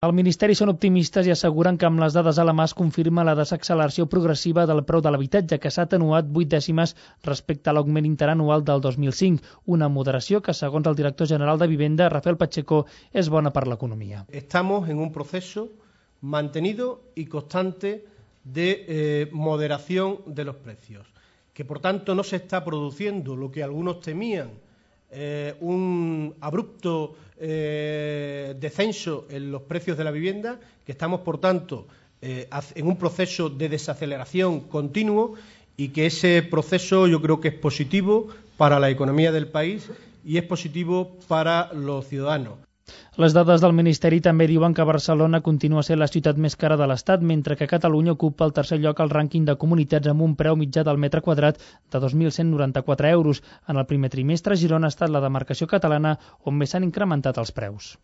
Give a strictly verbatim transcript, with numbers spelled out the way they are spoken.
Al Ministeri són optimistes i asseguren que amb les dades a la mà es confirma la desacceleració progressiva del preu de l'habitatge, que s'ha atenuat vuit dècimes respecte a l'augment interanual del dos mil cinc, una moderació que, segons el director general de Vivenda, Rafael Pacheco, és bona per l'economia. Estamos en un proceso mantenido y constante de eh, moderación de los precios, que por tanto no se está produciendo lo que algunos temían, Eh, un abrupto eh, descenso en los precios de la vivienda, que estamos, por tanto, eh, en un proceso de desaceleración continuo y que ese proceso yo creo que es positivo para la economía del país y es positivo para los ciudadanos. Les dades del Ministeri també diuen que Barcelona continua sent la ciutat més cara de l'Estat, mentre que Catalunya ocupa el tercer lloc al rànquing de comunitats amb un preu mitjà del metre quadrat de dos mil cent noranta-quatre euros. En el primer trimestre, Girona ha estat la demarcació catalana on més s'han incrementat els preus.